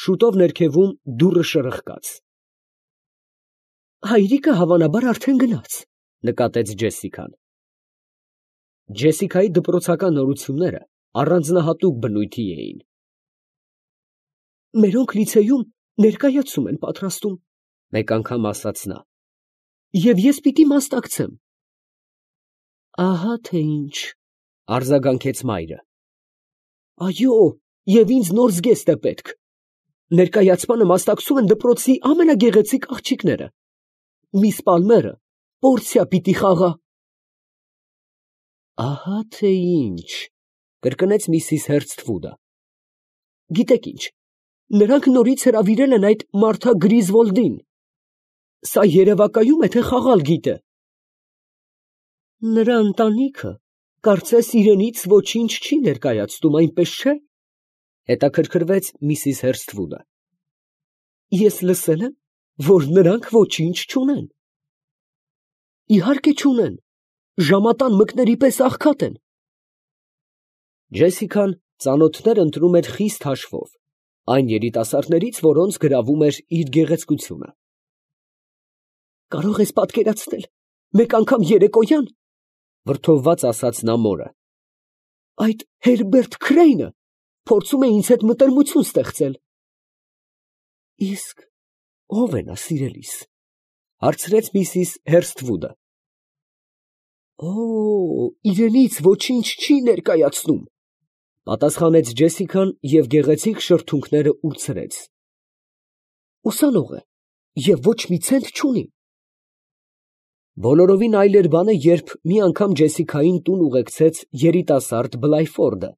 Շուտով ներքևում դուռը շրխկաց։ Հայրիկը հավանաբար արդեն գնաց, նկատեց Ջեսիկան։ Ջեսիկայի դպրոցական նորությունները առանձնահատուկ բնույթի էին։ Մերոնք լիցեյում ներկայացում են պատրաստում, մեկ անգամ ասաց նա։ Եվ ես պիտի մասնակցեմ։ Ահա թե ինչ, արձագանքեց մայրը։ Այո, և ինձ նոր զգեստ է պետք։ Ներկայացմանը մասնակցում են դպրոցի ամենագեղեցիկ աղջիկները։ Միս Պալմերը պորցիա պիտի խաղա։ Ահա թե ինչ, կրկնեց միսիս Հերցֆուդը։ Գիտեք ինչ, նրանք նորից հրավիրել են այդ Մարթա Գրիզվոլդին։ Սա երևակայում է, թե խաղալ գիտե։ Նրա ընտանիքը կարծես իրենից ոչինչ չի ներկայացնում, այնպես չէ։ Հետաքրքրվեց միսիս Հերցֆուդը։ Ես լսել եմ, որ նրանք ոչինչ չունեն։ Իհարկե չունեն, ժամատան մկների պես աղքատ են։ Ջեսիկան ծանոթներ ընտրում էր խիստ հաշվով, այն երիտասարդներից, որոնց գրավում էր իր գեղեցկությունը։ Կարող ես պատկերացնել, մեկ անգամ երեկոյան, վրդովված ասաց նա մորը, այդ Հերբերտ Քրեյնը փորձում է ինձ հետ մտերմություն ստեղծել։ Իսկ ո՞վ է նա, սիրելիս, հարցրեց միսիս Հերցֆուդը։ Օ, իրենից ոչինչ չի ներկայացնում, պատասխանեց Ջեսիկան և գեղեցիկ շրթունքները ուրցրեց։ Ուսանող է և ոչ մի ցենտ չունի։ Բոլորովին այլ էր բանը, երբ մի անգամ Ջեսիկային տուն ուղեկցեց երիտասարդ Բլայֆորդը,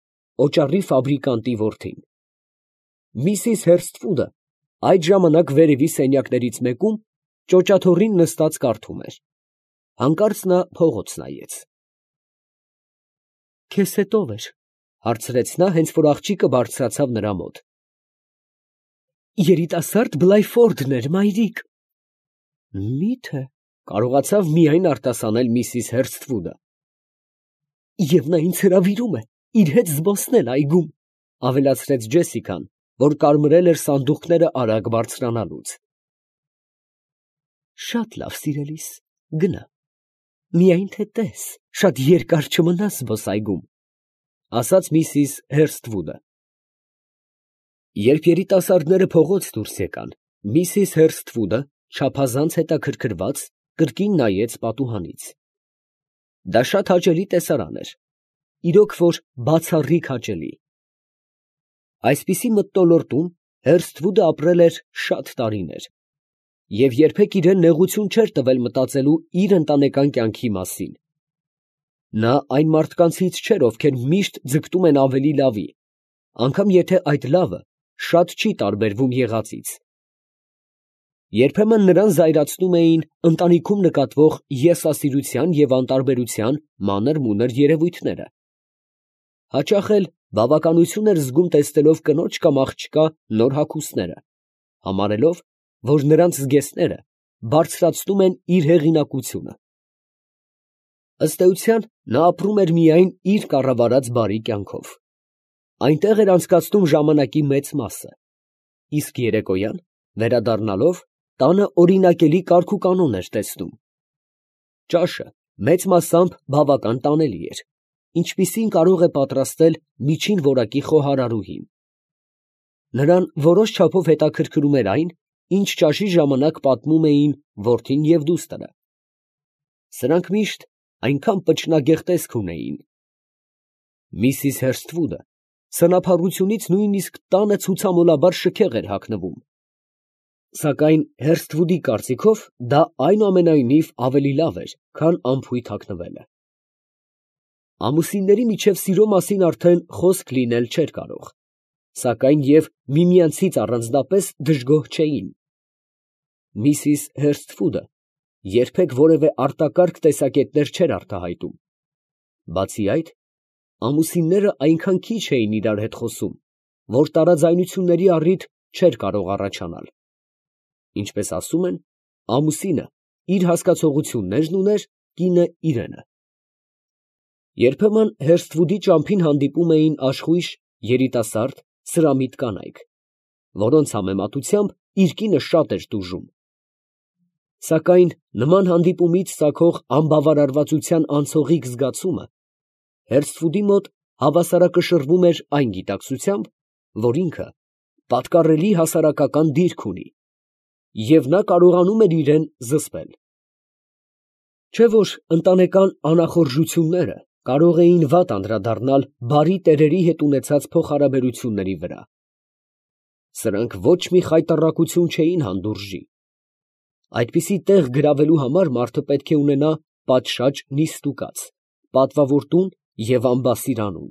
օճառի ֆաբրիկանտի որդին։ Միսիս Հերցֆուդը այդ ժամանակ վերևի սենյակներից մեկում ճոճաթոռին նստած կարդում էր։ Հանկարծ նա փողոց նայեց։ Քեզ հետ ո՞վ էր, հարցրեց նա, հենց որ աղջիկը բարձրացավ նրա մոտ։ Երիտասարդ Բլայֆորդն էր, մայրիկ։ Մի՞թե, կարողացավ միայն արտասանել միսիս Հերցֆուդը։ Եվ նա ինձ հրավիրում է իր հետ զբոսնել այգում, ավելացրեց Ջեսիկան, որ կարմրել էր սանդուղքները արագ բարձրանալուց։ Շատ լավ, սիրելիս, գնա։ Միայն թե տես, շատ երկար չմնաս զբոսայգում, ասաց միսիս Հերցֆուդը։ Երբ երիտասարդները փողոց դուրս եկան, միսիս Հերցֆուդը չափազանց հետաքրքրված կրկին նայեց պատուհանից։ Դա շատ հաճելի տեսարան էր, իրոք որ բացառիկ հաճելի։ Այսպիսի մթնոլորտում Հերցֆուդը ապրել էր շատ տարիներ և երբեք իրան նեղություն չէր տվել մտածելու իր ընտանեկան կյանքի մասին։ Նա այն մարդկանցից չէր, ովքեր միշտ ձգտում են ավելի լավի, անգամ եթե այդ լավը շատ չի տարբերվում եղածից։ Երբեմն նրան զայրացնում էին ընտանիքում նկատվող եսասիրության և անտարբերության մանր-մունր երևույթները։ Հաճախ էլ բավականություն էր զգում տեսնելով կնոջ կամ աղջկա նոր հագուստները, համարելով, որ նրանց զգեստները բարձրացնում են իր հեղինակությունը։ Ըստ էության, նա ապրում էր միայն իր կառավարած բարի կյանքով։ Այնտեղ էր անցկացնում ժամանակի մեծ մասը, իսկ երեկոյան, վերադառնալով, տանը օրինակելի կարգուկանոն էր տեսնում։ Ճաշը մեծ մասամբ բավական տանելի էր, ինչպիսին կարող է պատրաստել միջին որակի խոհարարուհին։ Նրան որոշ չափով հետաքրքրում էր այն, ինչ ճաշի ժամանակ պատմում էին որդին և դուստրը։ Սրանք միշտ այնքան պճնագեղ տեսք ունեին։ Միսիս Հերցֆուդը սնափառությունից նույնիսկ տանը ցուցամոլաբար շքեղ էր հագնվում։ Սակայն Հերցֆուդի կարծիքով դա այնուամենայնիվ ավելի լավ էր, քան անփույթ հագնվելը։ Ամուսինների միջև սիրո մասին արդեն խոսք լինել չէր կարող, սակայն և միմյանցից առանձնապես դժգոհ չէին։ Միսիս Հերցֆուդը երբեք որևէ արտակարգ տեսակետներ չէր արտահայտում։ Բացի այդ, ամուսինները այնքան քիչ էին իրար հետ խոսում, որ տարաձայնությունների առիթ չէր կարող առաջանալ։ Ինչպես ասում են, ամուսինը իր հասկացողություններն ուներ, կինը իրենը։ Երբեմն Հերցֆուդի ճամփին հանդիպում էին աշխույժ, երիտասարդ, սրամիտ կանայք։ որոնց համեմատությամբ իր կինը շատ էր տուժում։ Սակայն նման հանդիպումից ծագող անբավարարվածության անցողիկ զգացումը Հերսթվուդի մոտ հավասարակշռվում էր այն գիտակցությամբ, որ ինքը պատկառելի հասարակական դիրք ունի, և նա կարողանում էր իրեն զսպել։ Չէ՞ որ ընտանեկան անախորժությունները կարող էին վատ անդրադառնալ բարի տերերի հետ ունեցած փոխհարաբերությունների վրա։ Սրանք ոչ մի խայտառակություն չէին հանդուրժի։ Այդպիսի տեղ գրավելու համար մարդը պետք է ունենա պատշաճ նիստուկաց, պատվավոր տուն և ամբասիր անուն։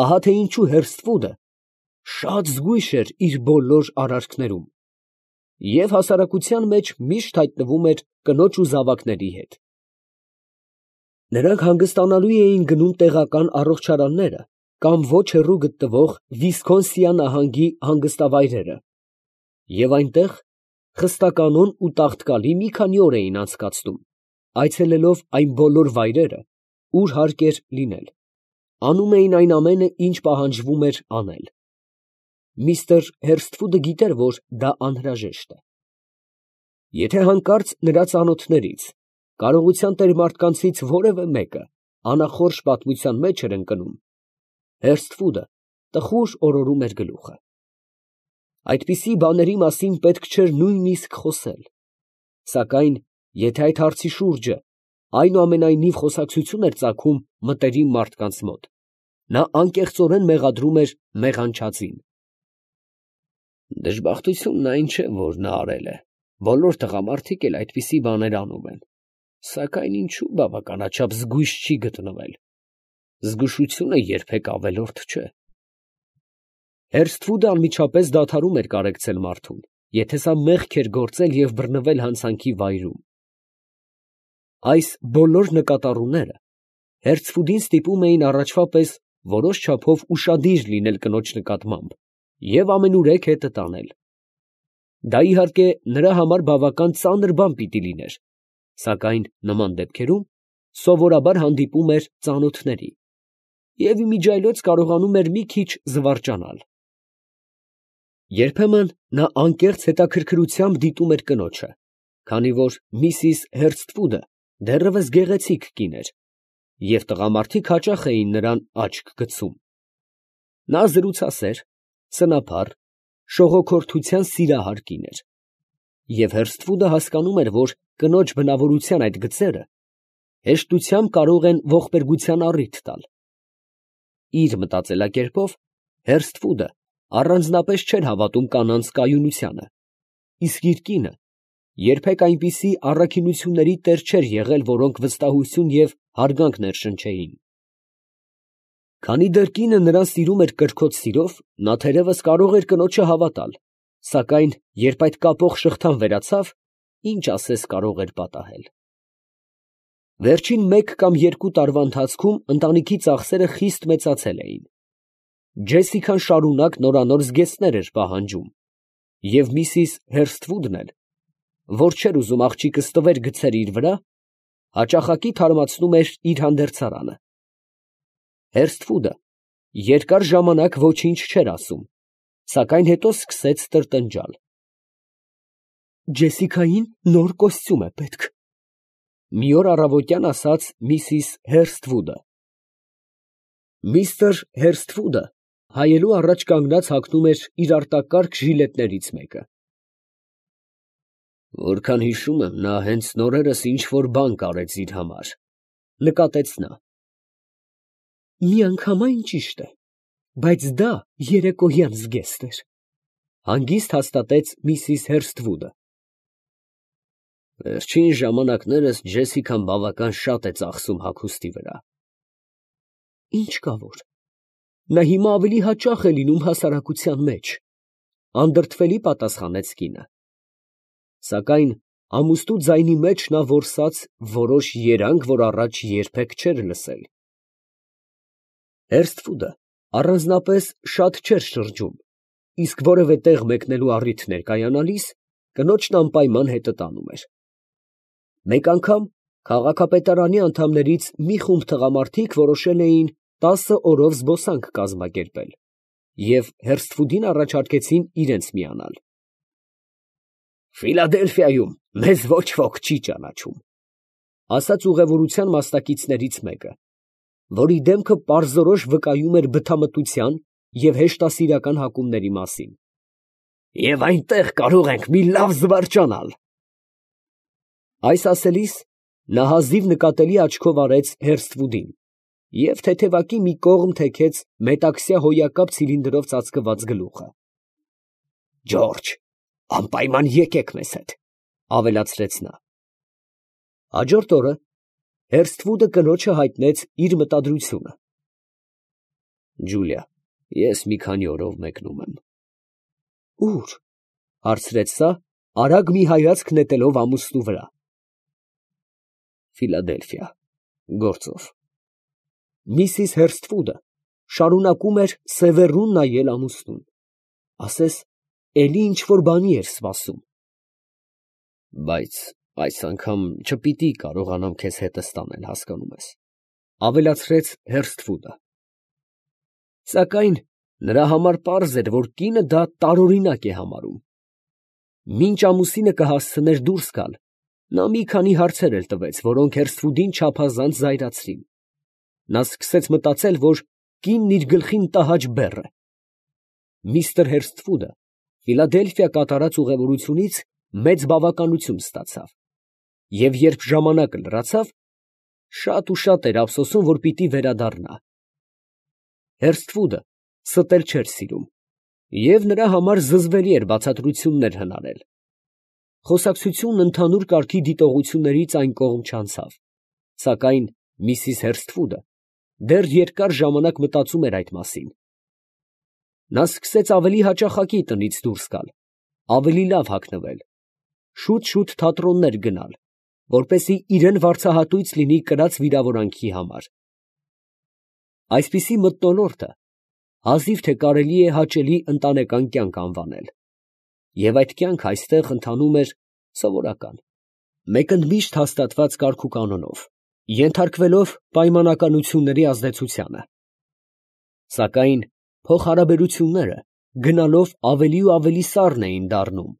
Ահա թե ինչու Հերսթվուդը շատ զգույշ էր իր բոլոր արարքներում և հասարակության մեջ միշտ հայտնվում էր կնոջ ու զավակների հետ։ Նրանք հանգստանալու էին գնում տեղական առողջարանները կամ ոչ հեռու գտնվող Վիսքոնսին նահանգի հանգստավայրերը և այնտեղ խստականոն ու տաղտկալի մի քանի օր էին անցկացնում, այցելելով այն բոլոր վայրերը, ուր հարկ էր լինել, անում էին այն ամենը, ինչ պահանջվում էր անել։ Միստր Հերսթվուդը գիտեր, որ դա անհրաժեշտ է։ Եթե հանկարծ նրա ծանոթներից, կարողության տեր մարդկանցից որևէ մեկը անախորժ պատմության մեջ էր ընկնում, Հերսթվուդը տխուր օրորում էր գլուխը։ Այդպիսի բաների մասին պետք չէր նույնիսկ խոսել, սակայն եթե այդ հարցի շուրջը այնուամենայնիվ խոսակցություն էր ծագում մտերիմ մարդկանց մոտ, նա անկեղծորեն մեղադրում էր մեղանչածին։ Դժբախտությունն այն չէ, որ նա արել է, բոլոր տղամարդիկ էլ այդպիսի բաներ անում են, սակայն ինչու բավականաչափ զգույշ չի գտնվել։ Զգուշությունը երբեք ավելորդ չէ։ Հերսթվուդը անմիջապես դադարում էր կարեկցել մարդուն, եթե սա մեղք էր գործել և բռնվել հանցանքի վայրում։ Այս բոլոր նկատառումները Հերսթվուդին ստիպում էին առաջվա պես որոշ չափով ուշադիր լինել կնոջ նկատմամբ և ամենուրեք հետը տանել։ Դա, իհարկե, նրա համար բավական ծանր բան պիտի լիներ, սակայն նման դեպքերում սովորաբար հանդիպում էր ծանոթների և իմիջիայլոց կարողանում էր մի քիչ զվարճանալ։ Երբեմն նա անկեղծ հետաքրքրությամբ դիտում էր կնոջը, քանի որ միսիս Հերսթվուդը դեռևս գեղեցիկ կին էր, և տղամարդիկ հաճախ էին նրան աչք գցում։ Նա զրուցասեր, սնափառ, շողոքորթության սիրահար կին էր, և Հերսթվուդը հասկանում էր, որ կնոջ բնավորության այդ գծերը հեշտությամբ կարող են ողբերգության առիթ տալ։ Իր մտածելակերպով Հերսթվուդը առանձնապես չէր հավատում կանանց կայունությանը, իսկ իր կինը երբեք այնպիսի առաքինությունների տեր չէր եղել, որոնք վստահություն և հարգանք ներշնչեին։ Քանի դեռ կինը նրան սիրում էր կրքոտ սիրով, նա թերևս կարող էր կնոջը հավատալ, սակայն երբ այդ կապող շղթան վերացավ, ինչ ասես կարող էր պատահել։ Վերջին 1 կամ 2 տարվա ընթացքում ընտանիքի ծախսերը խիստ մեծացել էին։ Ջեսիկան շարունակ նորանոր զգեստներ էր պահանջում, և միսիս Հերսթվուդն էլ, որ չէր ուզում աղջիկը ստվեր գցեր իր վրա, հաճախակի թարմացնում էր իր հանդերձարանը։ Հերսթվուդը երկար ժամանակ ոչինչ չէր ասում, սակայն հետո սկսեց տրտնջալ. «Ջեսիկային նոր կոստյում է պետք», ֊ մի օր առավոտյան ասաց միսիս Հերսթվուդը։ Միստր Հերսթվուդը հայելու առաջ կանգնած հագնում էր իր արտակարգ ժիլետներից մեկը։ «Որքան հիշում եմ, նա հենց նորերս ինչ֊որ բան կարեց իր համար», ֊ նկատեց նա։ «Միանգամայն ճիշտ է, բայց դա երեկոյան զգեստ էր», ֊ հանգիստ հաստատեց միսիս Հերսթվուդը։ «Վերջին ժամանակներս Ջեսիկան բավական շատ է ծախսում հագուստի վրա»։ «Ինչ կա որ, նա հիմա ավելի հաճախ է լինում հասարակության մեջ», ֊ անդրդվելի պատասխանեց կինը։ Սակայն ամուստու ձայնի մեջ նա որսաց որոշ երանգ, որ առաջ երբեք չէր լսել։ Հերսթվուդը առանձնապես շատ չէր շրջում, իսկ որևէ տեղ մեկնելու առիթ ներկայանալիս, կնոջն անպայման հետը տանում էր։ Մեկ անգամ քաղաքապետարանի անդամներից մի խումբ տղամարդիկ որոշել էին 10 օրով զբոսանք կազմակերպել, և Հերսթվուդին առաջարկեցին իրենց միանալ։ «Ֆիլադելֆիայում մեզ ոչ ոք չի ճանաչում», ֊ ասաց ուղևորության մասնակիցներից մեկը, որի դեմքը պարզորոշ վկայում էր բթամտության և հեշտասիրական հակումների մասին։ «Եվ այնտեղ կարող ենք մի լավ զվարճանալ»։ Այս ասելիս նա հազիվ նկատելի աչքով արեց Հերսթվուդին և թեթևակի մի կողմ թեքեց մետաքսյա հոյակապ ցիլինդրով ծածկված գլուխը։ «Ջորջ, անպայման եկեք մեզ հետ», ֊ ավելացրեց նա։ Հաջորդ օրը Հերսթվուդը կնոջը հայտնեց իր մտադրությունը։ «Ջուլիա, ես մի քանի օրով մեկնում եմ»։ «Ո՞ւր» ֊ հարցրեց սա, արագ մի հայացք նետելով ամուսնու վրա։ «Ֆիլադելֆիա, գործով»։ Միսիս Հերսթվուդը շարունակում էր սևեռուն նայել ամուսնուն, ասես էլի ինչ֊որ բանի էր սպասում։ «Բայց այս անգամ չպիտի կարողանամ քեզ հետս տանել, հասկանում ես», ֊ ավելացրեց Հերսթվուդը։ Սակայն նրա համար պարզ էր, որ կինը դա տարօրինակ է համարում։ Մինչ ամուսինը կհասցներ դուրս գալ, նա մի քանի հարցեր էլ տվեց, որոնք Հերսթվուդին չափազանց զայրացրին։ Նա սկսեց մտածել, որ կինն իր գլխին տհաճ բեռ է։ Միսթր Հերսթվուդը Ֆիլադելֆիա կատարած ուղևորությունից մեծ բավականություն ստացավ, և երբ ժամանակը լրացավ, շատ ու շատ էր ափսոսում, որ պիտի վերադառնա։ Հերսթվուդը ստել չէր սիրում, և նրա համար զզվելի էր բացատրություններ հնարել։ Խոսակցությունն ընդհանուր կարգի դիտողություններից այն կողմ չանցավ, սակայն միսիս Հերսթվուդը դեռ երկար ժամանակ մտածում էր այդ մասին։ Նա սկսեց ավելի հաճախակի տնից դուրս գալ, ավելի լավ հագնվել, շուտ֊շուտ թատրոններ գնալ, որպեսզի իրան վարձահատույց լինի կրած վիրավորանքի համար։ Այսպիսի մթնոլորտը հազիվ թե կարելի է հաճելի ընտանեկան կյանք անվանել, և այդ կյանքը այստեղ ընթանում էր սովորական, մեկընդմիշտ հաստատված կարգուկանոնով, ենթարկվելով պայմանականությունների ազդեցությանը։ Սակայն փոխհարաբերությունները գնալով ավելի ու ավելի սառն էին դառնում։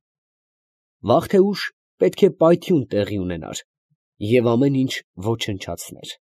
Վաղ թե ուշ պետք է պայթյուն տեղի ունենար, և ամեն ինչ ոչնչացներ։